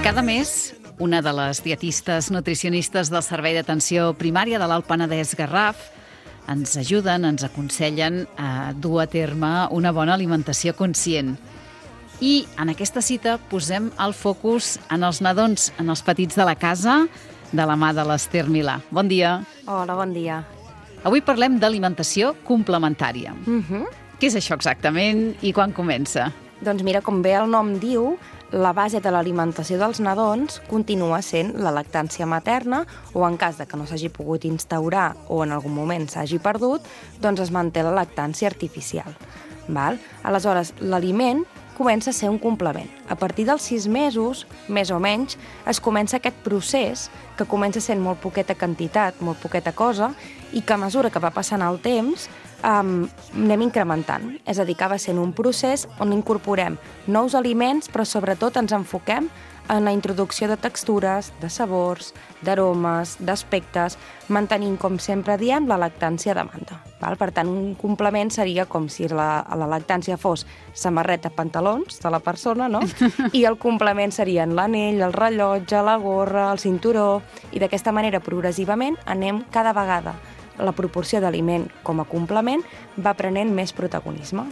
Cada mes, una de les dietistes nutricionistes del Servei d'Atenció Primària de l'Alt Penedès Garraf ens ajuden, ens aconsellen a dur a terme una bona alimentació conscient. I en aquesta cita posem el focus en els nadons, en els petits de la casa, de la mà de l'Ester Milà. Bon dia. Hola, bon dia. Avui parlem d'alimentació complementària. Què és això exactament i quan comença? Doncs mira, com bé el nom diu, la base de l'alimentació dels nadons continua sent la lactància materna o en cas de que no s'hagi pogut instaurar o en algun moment s'hagi perdut, doncs es manté la lactància artificial. Val? Aleshores, l'aliment comença a ser un complement. A partir dels 6 mesos, més o menys, es comença aquest procés que comença sent molt poqueta quantitat, molt poqueta cosa, i que a mesura que va passant el temps anem incrementant. És a dir, que va sent un procés on incorporem nous aliments, però sobretot ens enfoquem en la introducció de textures, de sabors, d'aromes, d'aspectes, mantenint, com sempre diem, la lactància de demanda. Val? Per tant, un complement seria com si la lactància fos samarreta, pantalons de la persona, no? I el complement serien l'anell, el rellotge, la gorra, el cinturó, i d'aquesta manera, progressivament, anem cada vegada la proporció d'aliment com a complement va prenent més protagonisme.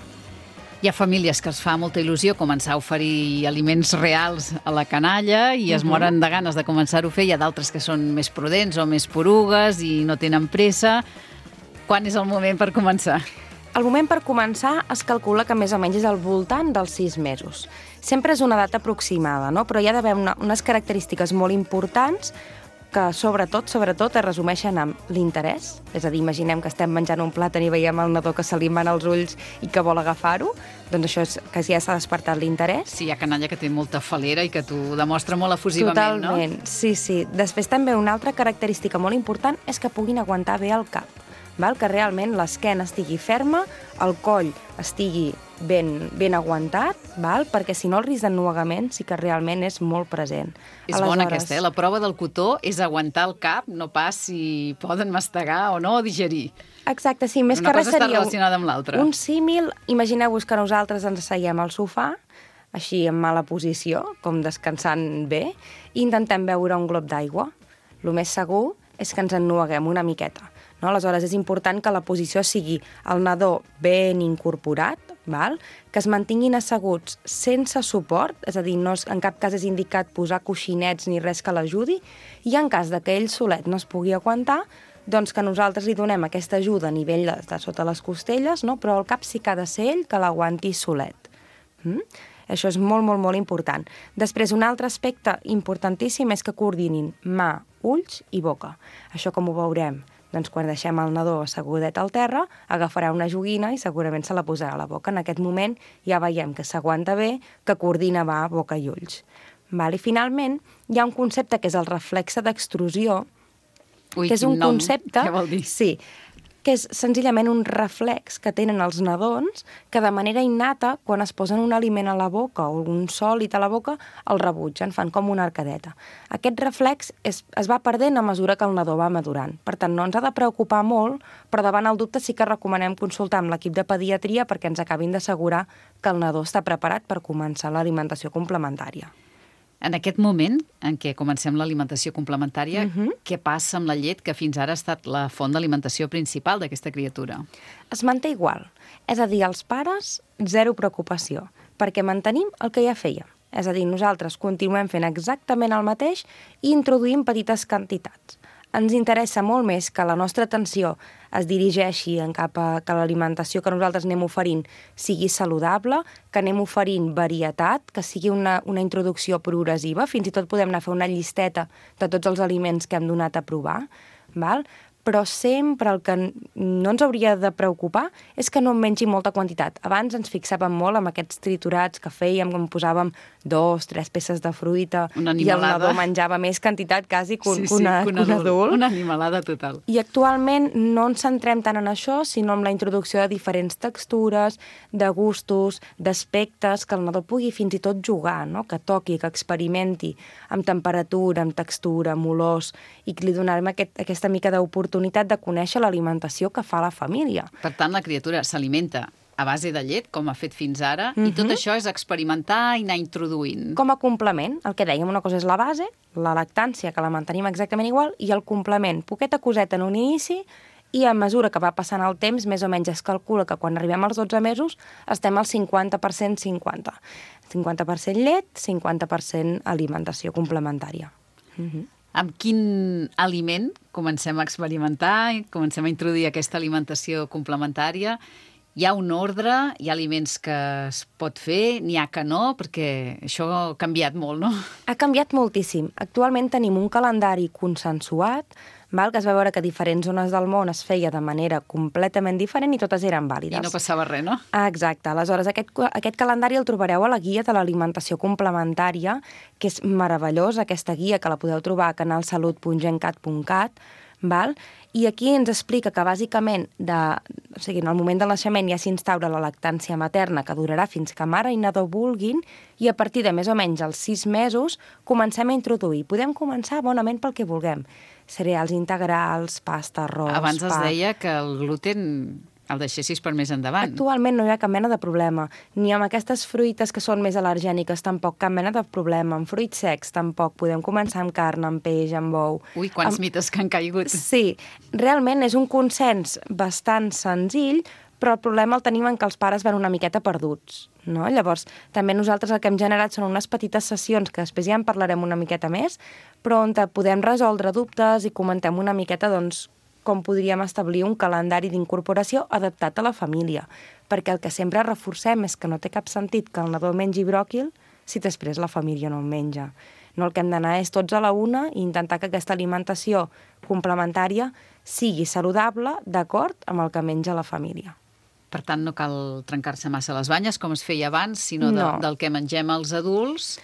Hi ha famílies que es fa molta il·lusió començar a oferir aliments reals a la canalla i es moren de ganes de començar-ho a fer. Hi ha d'altres que són més prudents o més porugues i no tenen pressa. Quan és el moment per començar? El moment per començar es calcula que més o menys és al voltant dels 6 mesos. Sempre és una data aproximada, no? Però hi ha d'haver unes característiques molt importants que sobretot es resumeixen amb l'interès. És a dir, imaginem que estem menjant un plàtan i veiem el nadó que se li van els ulls i que vol agafar-ho, doncs això és que ja s'ha despertat l'interès. Sí, hi ha canalla que té molta falera i que t'ho demostra molt efusivament, no? Totalment, sí. Després també una altra característica molt important és que puguin aguantar bé el cap. Val? Que realment l'esquena estigui ferma, el coll estigui ben aguantat, val? Perquè si no el risc d'ennuegament sí que realment és molt present. És bona aquesta, La prova del cotó és aguantar el cap, no pas si poden mastegar o no, o digerir. Exacte, sí, més una que res cosa està seria relacionada amb l'altra. Un símil, imagineu-vos que nosaltres ens asseiem al sofà, així en mala posició, com descansant bé, i intentem beure un glob d'aigua. El més segur és que ens ennueguem una miqueta. No? Aleshores, és important que la posició sigui el nadó ben incorporat, val? Que es mantinguin asseguts sense suport, és a dir, en cap cas és indicat posar coixinets ni res que l'ajudi, i en cas de que ell solet no es pugui aguantar, doncs que nosaltres li donem aquesta ajuda a nivell de sota les costelles, no? Però el cap sí que ha de ser ell que l'aguanti solet. Això és molt, molt, molt important. Després, un altre aspecte importantíssim és que coordinin mà, ulls i boca. Això com ho veurem? Doncs quan deixem el nadó assegudet al terra, agafarà una joguina i segurament se la posarà a la boca. En aquest moment ja veiem que s'aguanta bé, que coordina bé boca i ulls. I finalment hi ha un concepte que és el reflexe d'extrusió, que és un concepte... Què vol dir? Sí, que és senzillament un reflex que tenen els nadons que de manera innata, quan es posen un aliment a la boca o un sòlid a la boca, el rebutgen, fan com una arcadeta. Aquest reflex es va perdent a mesura que el nadó va madurant. Per tant, no ens ha de preocupar molt, però davant el dubte sí que recomanem consultar amb l'equip de pediatria perquè ens acabin d'assegurar que el nadó està preparat per començar l'alimentació complementària. En aquest moment en què comencem l'alimentació complementària, què passa amb la llet que fins ara ha estat la font d'alimentació principal d'aquesta criatura? Es manté igual. És a dir, els pares, zero preocupació, perquè mantenim el que ja fèiem. És a dir, nosaltres continuem fent exactament el mateix i introduïm petites quantitats. Ens interessa molt més que la nostra atenció es dirigeixi cap a que l'alimentació que nosaltres anem oferint sigui saludable, que anem oferint varietat, que sigui una introducció progressiva, fins i tot podem anar a fer una llisteta de tots els aliments que hem donat a provar, val? Però sempre el que no ens hauria de preocupar és que no en mengi molta quantitat. Abans ens fixàvem molt amb aquests triturats que fèiem, com posàvem 2, 3 peces de fruita i el nadó menjava més quantitat quasi que un adult. Una animalada total. I actualment no ens centrem tant en això, sinó en la introducció de diferents textures, de gustos, d'aspectes, que el nadó pugui fins i tot jugar, no? Que toqui, que experimenti amb temperatura, amb textura, amb olors, i que li donarem aquesta mica d'oportunitat de conèixer l'alimentació que fa la família. Per tant, la criatura s'alimenta a base de llet, com ha fet fins ara, i tot això és experimentar i anar introduint. Com a complement, el que dèiem, una cosa és la base, la lactància, que la mantenim exactament igual, i el complement, poqueta coseta en un inici, i a mesura que va passant el temps, més o menys es calcula que quan arribem als 12 mesos estem al 50%, 50%. 50% llet, 50% alimentació complementària. Amb quin aliment comencem a experimentar i comencem a introduir aquesta alimentació complementària? Hi ha un ordre, hi ha aliments que es pot fer, n'hi ha que no, perquè això ha canviat molt, no? Ha canviat moltíssim. Actualment tenim un calendari consensuat, que es va veure que a diferents zones del món es feia de manera completament diferent i totes eren vàlides. I no passava res, no? Exacte. Aleshores, aquest calendari el trobareu a la guia de l'alimentació complementària, que és meravellosa, aquesta guia, que la podeu trobar a canalsalut.gencat.cat, i aquí ens explica que bàsicament en el moment del naixement ja s'instaura la lactància materna, que durarà fins que mare i nadó vulguin, i a partir de més o menys els 6 mesos comencem a introduir. Podem començar bonament pel que vulguem. Cereals integrals, pasta, arròs, Abans es pa. deia que el gluten el deixessis per més endavant. Actualment no hi ha cap mena de problema. Ni amb aquestes fruites que són més al·lergèniques tampoc cap mena de problema. Amb fruits secs tampoc. Podem començar amb carn, amb peix, amb ou. Ui, quants mites que han caigut. Sí, realment és un consens bastant senzill, però el problema el tenim en que els pares van una miqueta perduts. No? Llavors, també nosaltres el que hem generat són unes petites sessions, que després ja en parlarem una miqueta més, però on podem resoldre dubtes i comentem una miqueta, doncs, com podríem establir un calendari d'incorporació adaptat a la família. Perquè el que sempre reforcem és que no té cap sentit que el nadó mengi bròquil si després la família no en menja. No, el que hem d'anar és tots a la una i intentar que aquesta alimentació complementària sigui saludable d'acord amb el que menja la família. Per tant, no cal trencar-se massa les banyes, com es feia abans, sinó del que mengem els adults.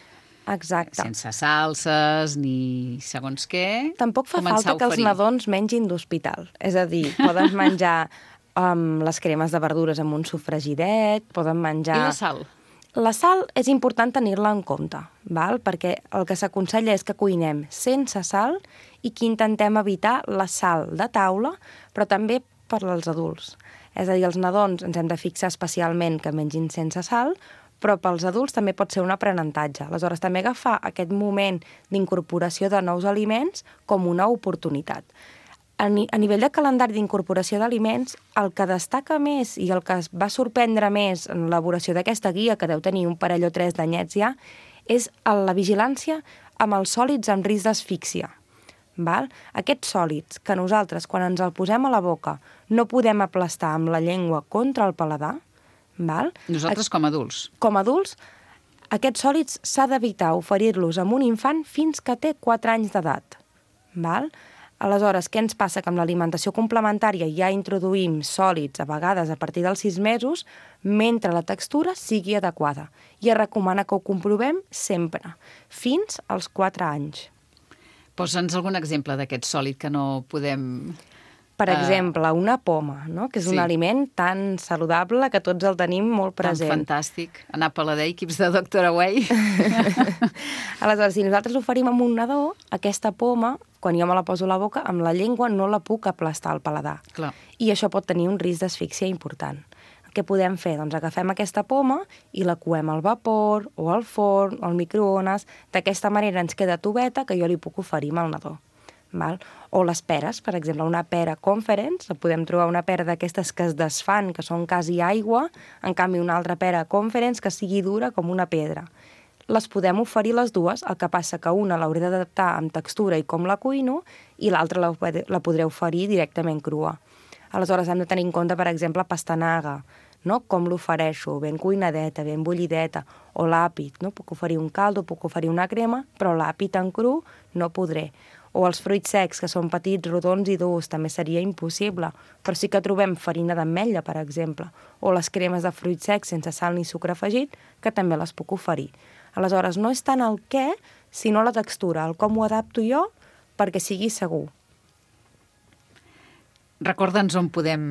Exacte. Sense salses ni segons què. Tampoc fa falta que els nadons mengin d'hospital. És a dir, poden menjar les cremes de verdures amb un sofregidet, poden menjar... I la sal? La sal és important tenir-la en compte, perquè el que s'aconsella és que cuinem sense sal i que intentem evitar la sal de taula, però també per als adults. És a dir, els nadons ens hem de fixar especialment que mengin sense sal, però pels adults també pot ser un aprenentatge. Aleshores, també agafar aquest moment d'incorporació de nous aliments com una oportunitat. A nivell de calendari d'incorporació d'aliments, el que destaca més i el que es va sorprendre més en l'elaboració d'aquesta guia, que deu tenir un parell o 3 d'anyets ja, és la vigilància amb els sòlids amb risc d'asfíxia. Aquests sòlids que nosaltres, quan ens el posem a la boca, no podem aplastar amb la llengua contra el paladar, nosaltres com a adults. Com a adults, aquests sòlids s'ha d'evitar oferir-los a un infant fins que té 4 anys d'edat. Aleshores, què ens passa? Que amb l'alimentació complementària ja introduïm sòlids, a vegades a partir dels 6 mesos, mentre la textura sigui adequada. I es recomana que ho comprovem sempre, fins als 4 anys. Posa'ns algun exemple d'aquest sòlid que no podem... Per exemple, una poma, no? Que és un aliment tan saludable que tots el tenim molt present. Tan fantàstic. Anar a Palader, equips de Dr. Away. Aleshores, si nosaltres l'oferim amb un nadó, aquesta poma, quan jo me la poso a la boca, amb la llengua no la puc aplastar al paladar. Clar. I això pot tenir un risc d'asfíxia important. Què podem fer? Doncs agafem aquesta poma i la coem al vapor, o al forn, o al microones. D'aquesta manera ens queda tubeta que jo li puc oferir al nadó. O les peres, per exemple, una pera Conference, podem trobar una pera d'aquestes que es desfan, que són quasi aigua, en canvi una altra pera Conference que sigui dura com una pedra. Les podem oferir les dues, el que passa que una l'hauré d'adaptar amb textura i com la cuino, i l'altra la podré oferir directament crua. Aleshores hem de tenir en compte, per exemple, pastanaga, no? Com l'ofereixo, ben cuinadeta, ben bullideta, o l'àpid, no? Puc oferir un caldo, puc oferir una crema, però l'àpid en cru no podré. O els fruits secs, que són petits, rodons i durs, també seria impossible, però sí que trobem farina d'ametlla, per exemple, o les cremes de fruits secs sense sal ni sucre afegit, que també les puc oferir. Aleshores, no és tant el què, sinó la textura, el com ho adapto jo perquè sigui segur. Recorda'ns on podem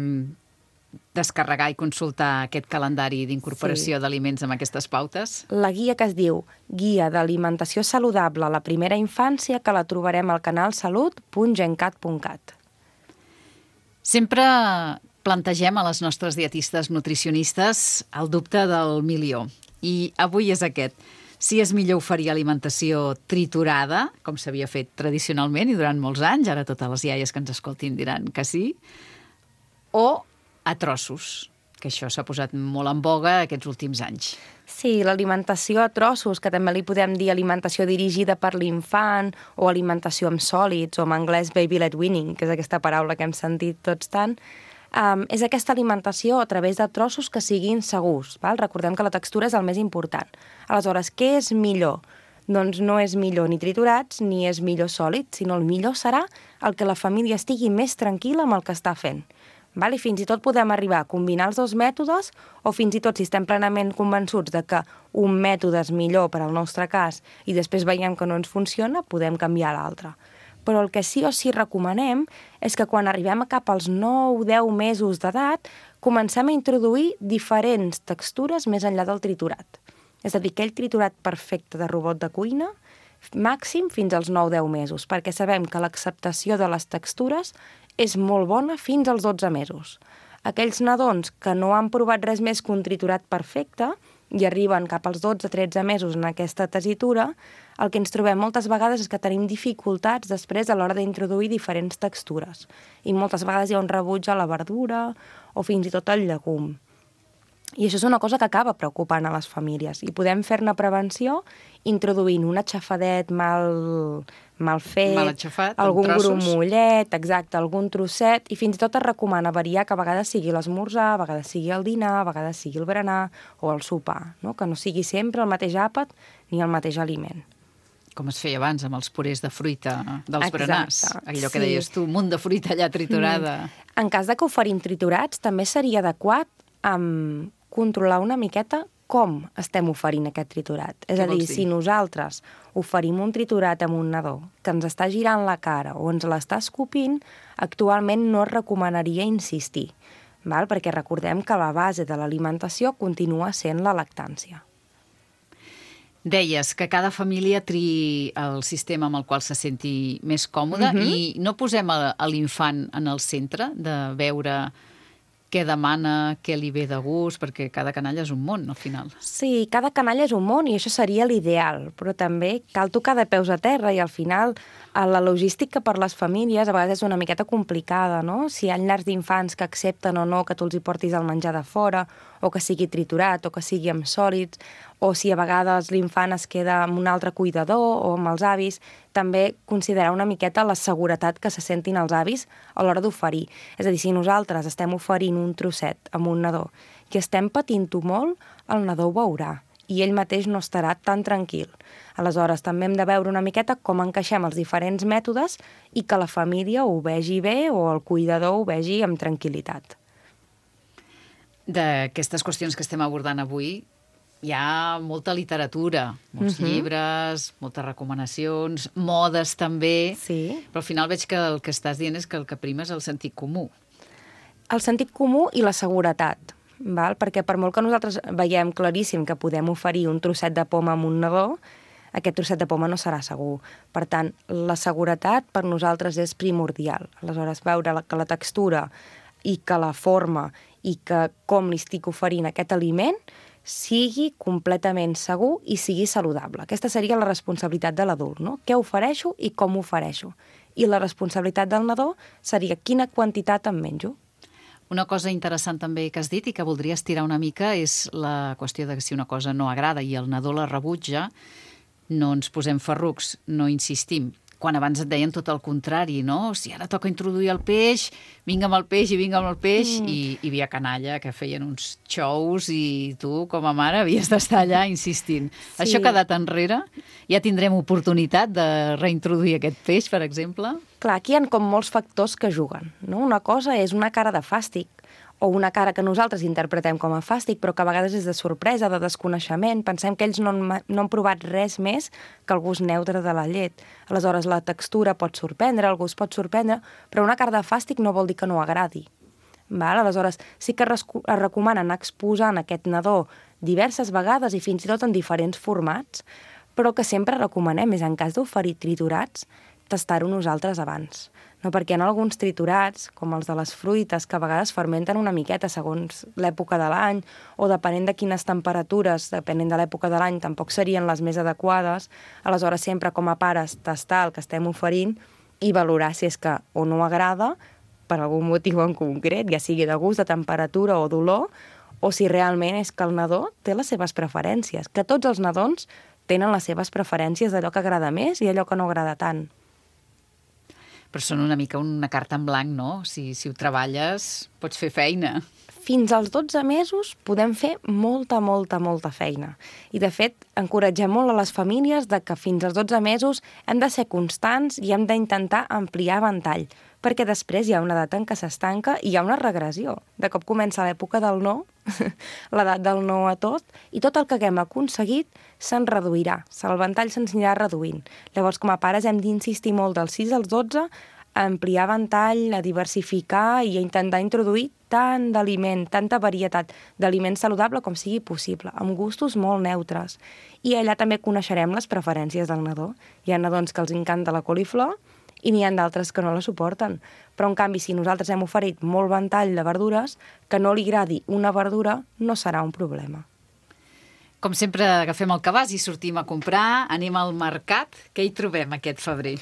descarregar i consultar aquest calendari d'incorporació d'aliments amb aquestes pautes? La guia que es diu Guia d'alimentació saludable a la primera infància, que la trobarem al canal salut.gencat.cat. Sempre plantegem a les nostres dietistes nutricionistes el dubte del milió. I avui és aquest. Si és millor oferir alimentació triturada, com s'havia fet tradicionalment i durant molts anys, ara totes les iaies que ens escoltin diran que sí, o a trossos, que això s'ha posat molt en boga aquests últims anys. Sí, l'alimentació a trossos, que també li podem dir alimentació dirigida per l'infant o alimentació amb sòlids, o en anglès baby-led weaning, que és aquesta paraula que hem sentit tots tant, és aquesta alimentació a través de trossos que siguin segurs. Val? Recordem que la textura és el més important. Aleshores, què és millor? Doncs no és millor ni triturats ni és millor sòlid, sinó el millor serà el que la família estigui més tranquil·la amb el que està fent. Val? I fins i tot podem arribar a combinar els dos mètodes o fins i tot si estem plenament convençuts de que un mètode és millor per al nostre cas i després veiem que no ens funciona, podem canviar l'altre. Però el que sí o sí recomanem és que quan arribem a cap als 9-10 mesos d'edat comencem a introduir diferents textures més enllà del triturat. És a dir, aquell triturat perfecte de robot de cuina màxim fins als 9-10 mesos, perquè sabem que l'acceptació de les textures és molt bona fins als 12 mesos. Aquells nadons que no han provat res més que un triturat perfecte i arriben cap als 12-13 mesos en aquesta tessitura, el que ens trobem moltes vegades és que tenim dificultats després a l'hora d'introduir diferents textures. I moltes vegades hi ha un rebuig a la verdura o fins i tot al llegum. I això és una cosa que acaba preocupant a les famílies. I podem fer-ne prevenció introduint un aixafadet mal fet, mal aixafat, algun grumollet, exacte, algun trosset, i fins i tot es recomana variar que a vegades sigui l'esmorzar, a vegades sigui el dinar, a vegades sigui el berenar o el sopar, no? Que no sigui sempre el mateix àpat ni el mateix aliment. Com es feia abans amb els purés de fruita dels Exacte, berenars. Allò que sí. deies tu, un munt de fruita allà triturada. En cas de que oferim triturats, també seria adequat controlar una miqueta com estem oferint aquest triturat. És a dir, si nosaltres oferim un triturat amb un nadó que ens està girant la cara o ens l'està escopint, actualment no es recomanaria insistir, val? Perquè recordem que la base de l'alimentació continua sent la lactància. Deies que cada família triï el sistema amb el qual se senti més còmode i no posem a l'infant en el centre de veure què demana, què li ve de gust, perquè cada canalla és un món, al final. Sí, cada canalla és un món i això seria l'ideal, però també cal tocar de peus a terra i al final la logística per les famílies a vegades és una miqueta complicada, no? Si hi ha llars d'infants que accepten o no que tu els hi portis el menjar de fora, o que sigui triturat, o que sigui amb sòlids, o si a vegades l'infant es queda amb un altre cuidador o amb els avis, també considerar una miqueta la seguretat que se sentin els avis a l'hora d'oferir. És a dir, si nosaltres estem oferint un trosset amb un nadó i estem patint-ho molt, el nadó ho veurà i ell mateix no estarà tan tranquil. Aleshores, també hem de veure una miqueta com encaixem els diferents mètodes i que la família ho vegi bé o el cuidador ho vegi amb tranquil·litat. D'aquestes qüestions que estem abordant avui, hi ha molta literatura, molts llibres, moltes recomanacions, modes també, però al final veig que el que estàs dient és que el que prima és el sentit comú. El sentit comú i la seguretat, val? Perquè per molt que nosaltres veiem claríssim que podem oferir un trosset de poma amb un nadó, aquest trosset de poma no serà segur. Per tant, la seguretat per nosaltres és primordial. Aleshores, veure que la textura i que la forma i que com li estic oferint aquest aliment sigui completament segur i sigui saludable. Aquesta seria la responsabilitat de l'adult, no? Què ofereixo i com ho ofereixo. I la responsabilitat del nadó seria quina quantitat em menjo. Una cosa interessant també que has dit i que voldria estirar una mica és la qüestió de que si una cosa no agrada i el nadó la rebutja, no ens posem ferrucs, no insistim. Quan abans et deien tot el contrari, no? Si ara toca introduir el peix, vinga amb el peix i vinga amb el peix, i hi havia canalla que feien uns xous i tu, com a mare, havies d'estar allà insistint. Sí. Això ha quedat enrere? Ja tindrem oportunitat de reintroduir aquest peix, per exemple? Clar, aquí hi ha com molts factors que juguen, no? Una cosa és una cara de fàstic, o una cara que nosaltres interpretem com a fàstic, però que a vegades és de sorpresa, de desconeixement. Pensem que ells no han provat res més que el gust neutre de la llet. Aleshores, la textura pot sorprendre, el gust pot sorprendre, però una cara de fàstic no vol dir que no agradi. Val? Aleshores, sí que es recomana anar exposant aquest nadó diverses vegades i fins i tot en diferents formats, però que sempre recomanem és en cas d'oferir triturats tastar-ho nosaltres abans. No? Perquè en alguns triturats, com els de les fruites, que a vegades fermenten una miqueta segons l'època de l'any, o depenent de quines temperatures, depenent de l'època de l'any, tampoc serien les més adequades, aleshores sempre com a pares tastar el que estem oferint i valorar si és que o no agrada, per algun motiu en concret, ja sigui de gust, de temperatura o d'olor, o si realment és que el nadó té les seves preferències, que tots els nadons tenen les seves preferències d'allò que agrada més i allò que no agrada tant. Però són una mica una carta en blanc, no? Si ho treballes, pots fer feina. Fins als 12 mesos podem fer molta feina. I, de fet, encoratgem molt a les famílies de que fins als 12 mesos hem de ser constants i hem d'intentar ampliar ventall, perquè després hi ha una edat en què s'estanca i hi ha una regressió. De cop comença l'època del no, l'edat del no a tot, i tot el que haguem aconseguit se'n reduirà, el ventall se'ns anirà reduint. Llavors, com a pares, hem d'insistir molt dels 6 als 12 a ampliar ventall, a diversificar i a intentar introduir tant d'aliment, tanta varietat d'aliment saludable com sigui possible, amb gustos molt neutres. I allà també coneixerem les preferències del nadó. Hi ha nadons que els encanta la coliflor i n'hi ha d'altres que no la suporten. Però, en canvi, si nosaltres hem oferit molt ventall de verdures, que no li agradi una verdura no serà un problema. Com sempre, agafem el cabàs i sortim a comprar, anem al mercat. Què hi trobem aquest febrer?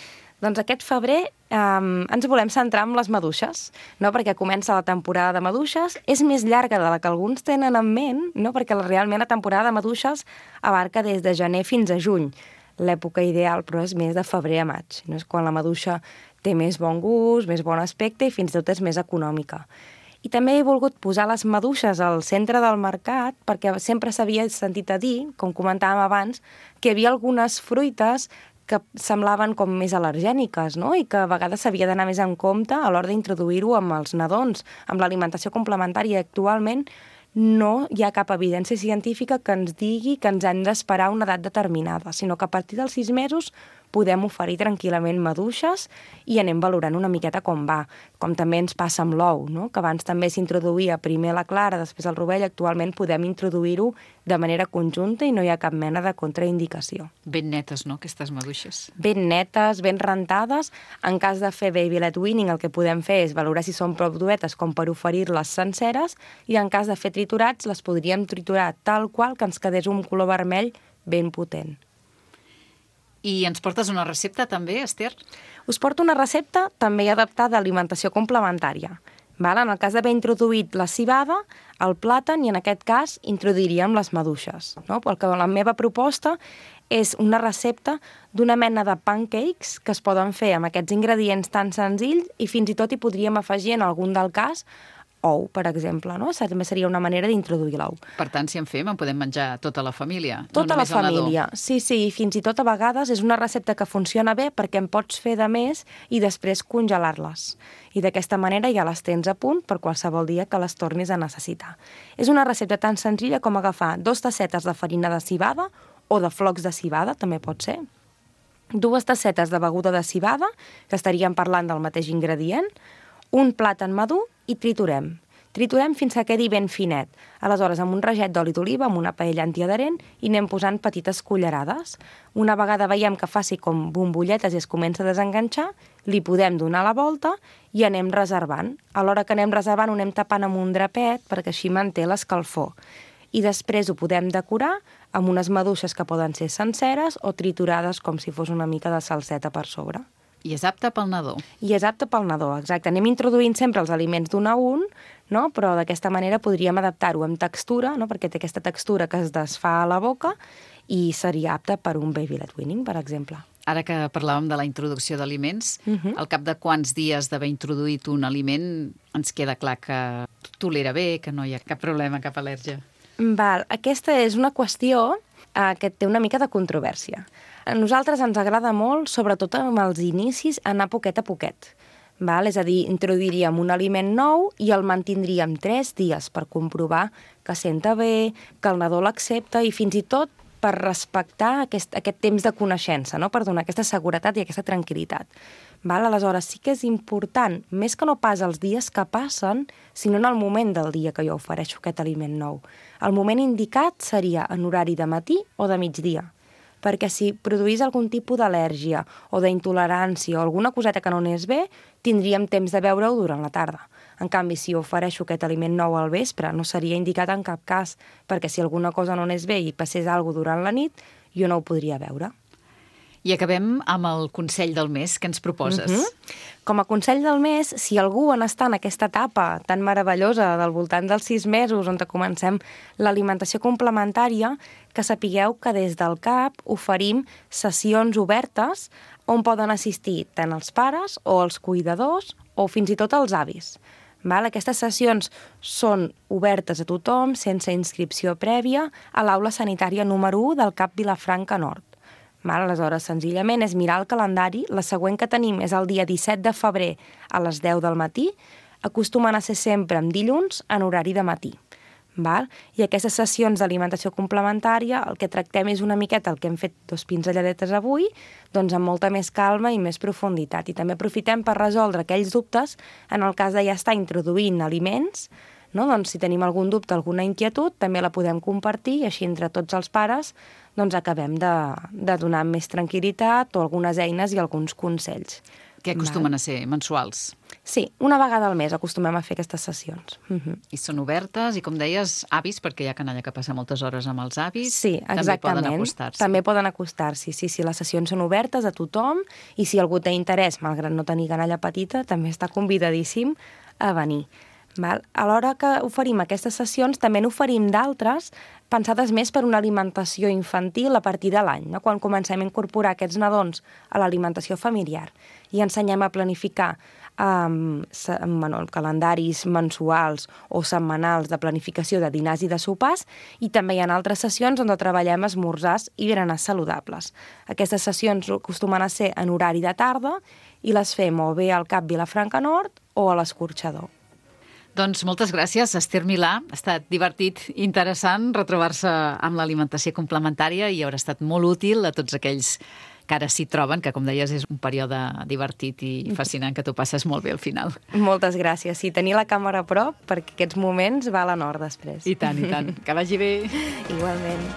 Doncs aquest febrer ens volem centrar en les maduixes, no? Perquè comença la temporada de maduixes, és més llarga de la que alguns tenen en ment, no? Perquè realment la temporada de maduixes abarca des de gener fins a juny. L'època ideal, però, és més de febrer a maig. No? És quan la maduixa té més bon gust, més bon aspecte i fins i tot és més econòmica. I també he volgut posar les maduixes al centre del mercat perquè sempre s'havia sentit a dir, com comentàvem abans, que hi havia algunes fruites que semblaven com més al·lergèniques, no? I que a vegades s'havia d'anar més en compte a l'hora d'introduir-ho amb els nadons, amb l'alimentació complementària. Actualment no hi ha cap evidència científica que ens digui que ens hem d'esperar una edat determinada, sinó que a partir dels 6 mesos podem oferir tranquil·lament maduixes i anem valorant una miqueta com va. Com també ens passa amb l'ou, no? Que abans també s'introduïa primer la clara, després el rovell. Actualment podem introduir-ho de manera conjunta i no hi ha cap mena de contraindicació. Ben netes, no?, aquestes maduixes. Ben netes, ben rentades. En cas de fer baby led weaning, el que podem fer és valorar si són prou duetes com per oferir-les senceres, i en cas de fer triturats, les podríem triturar tal qual que ens quedés un color vermell ben potent. I ens portes una recepta també, Esther? Us porto una recepta també adaptada a alimentació complementària. En el cas d'haver introduït la civada, el plàtan, i en aquest cas introduiríem les maduixes. Perquè la meva proposta és una recepta d'una mena de pancakes que es poden fer amb aquests ingredients tan senzills i fins i tot hi podríem afegir en algun del cas ou, per exemple, no? També seria una manera d'introduir l'ou. Per tant, si en fem, en podem menjar tota la família, tota no només la família. Sí, fins i tot a vegades és una recepta que funciona bé perquè en pots fer de més i després congelar-les. I d'aquesta manera ja les tens a punt per qualsevol dia que les tornis a necessitar. És una recepta tan senzilla com agafar 2 tassetes de farina de civada o de flocs de civada, també pot ser, 2 tassetes de beguda de civada, que estaríem parlant del mateix ingredient, un plàtan madur i triturem. Triturem fins que quedi ben finet. Aleshores, amb un raget d'oli d'oliva, amb una paella antiadherent, i anem posant petites cullerades. Una vegada veiem que faci com bombolletes i es comença a desenganxar, li podem donar la volta i anem reservant. A l'hora que anem reservant ho anem tapant amb un drapet perquè així manté l'escalfor. I després ho podem decorar amb unes maduixes que poden ser senceres o triturades com si fos una mica de salseta per sobre. I és apte pel nadó. I és apte pel nadó, exacte. Anem introduint sempre els aliments d'un a un, no? Però d'aquesta manera podríem adaptar-ho amb textura, no? Perquè té aquesta textura que es desfà a la boca i seria apte per un baby led weaning, per exemple. Ara que parlàvem de la introducció d'aliments, al cap de quants dies d'haver introduït un aliment ens queda clar que tolera bé, que no hi ha cap problema, cap al·lèrgia? Aquesta és una qüestió que té una mica de controvèrsia. A nosaltres ens agrada molt, sobretot amb els inicis, anar poquet a poquet. És a dir, introduiríem un aliment nou i el mantindríem 3 dies per comprovar que senta bé, que el nadó l'accepta i fins i tot per respectar aquest temps de coneixença, no? Per donar aquesta seguretat i aquesta tranquil·litat. Aleshores, sí que és important, més que no pas els dies que passen, sinó en el moment del dia que jo ofereixo aquest aliment nou. El moment indicat seria en horari de matí o de migdia. perquè si produís algun tipus d'al·lèrgia o d'intolerància o alguna coseta que no anés bé, tindríem temps de beure-ho durant la tarda. En canvi, si ofereixo aquest aliment nou al vespre, no seria indicat en cap cas, perquè si alguna cosa no anés bé i passés alguna cosa durant la nit, jo no ho podria beure. I acabem amb el consell del mes. Què ens proposes? Com a consell del mes, si algú està en aquesta etapa tan meravellosa del voltant dels 6 mesos on comencem l'alimentació complementària, que sapigueu que des del CAP oferim sessions obertes on poden assistir tant els pares o els cuidadors o fins i tot els avis. Aquestes sessions són obertes a tothom, sense inscripció prèvia, a l'aula sanitària número 1 del CAP Vilafranca Nord. Aleshores, senzillament és mirar el calendari. La següent que tenim és el dia 17 de febrer a les 10 del matí. Acostumen a ser sempre en dilluns en horari de matí. I aquestes sessions d'alimentació complementària, el que tractem és una miqueta el que hem fet 2 pinzelladetes avui, doncs amb molta més calma i més profunditat. I també aprofitem per resoldre aquells dubtes en el cas de ja estar introduint aliments. Doncs si tenim algun dubte, alguna inquietud, també la podem compartir i així entre tots els pares acabem de donar més tranquil·litat o algunes eines i alguns consells. Que acostumen a ser mensuals. Sí, una vegada al mes acostumem a fer aquestes sessions. I són obertes i, com deies, avis, perquè hi ha canalla que passa moltes hores amb els avis. Sí, exactament. També poden acostar-s'hi. També poden acostar-s'hi, sí. Les sessions són obertes a tothom i si algú té interès, malgrat no tenir canalla petita, també està convidadíssim a venir. Alhora que oferim aquestes sessions, també n'oferim d'altres pensades més per una alimentació infantil a partir de l'any, quan comencem a incorporar aquests nadons a l'alimentació familiar i ensenyem a planificar calendaris mensuals o setmanals de planificació de dinars i de sopars, i també hi ha altres sessions on treballem esmorzars i berenars saludables. Aquestes sessions acostumen a ser en horari de tarda i les fem o bé al CAP Vilafranca Nord o a l'Escorxador. Doncs moltes gràcies, Esther Milà. Ha estat divertit, interessant retrobar-se amb l'alimentació complementària i haurà estat molt útil a tots aquells que ara s'hi troben, que com deies és un període divertit i fascinant, que t'ho passes molt bé al final. Moltes gràcies. Sí, tenir la càmera a prop perquè aquests moments valen or després. I tant, i tant. Que vagi bé. Igualment.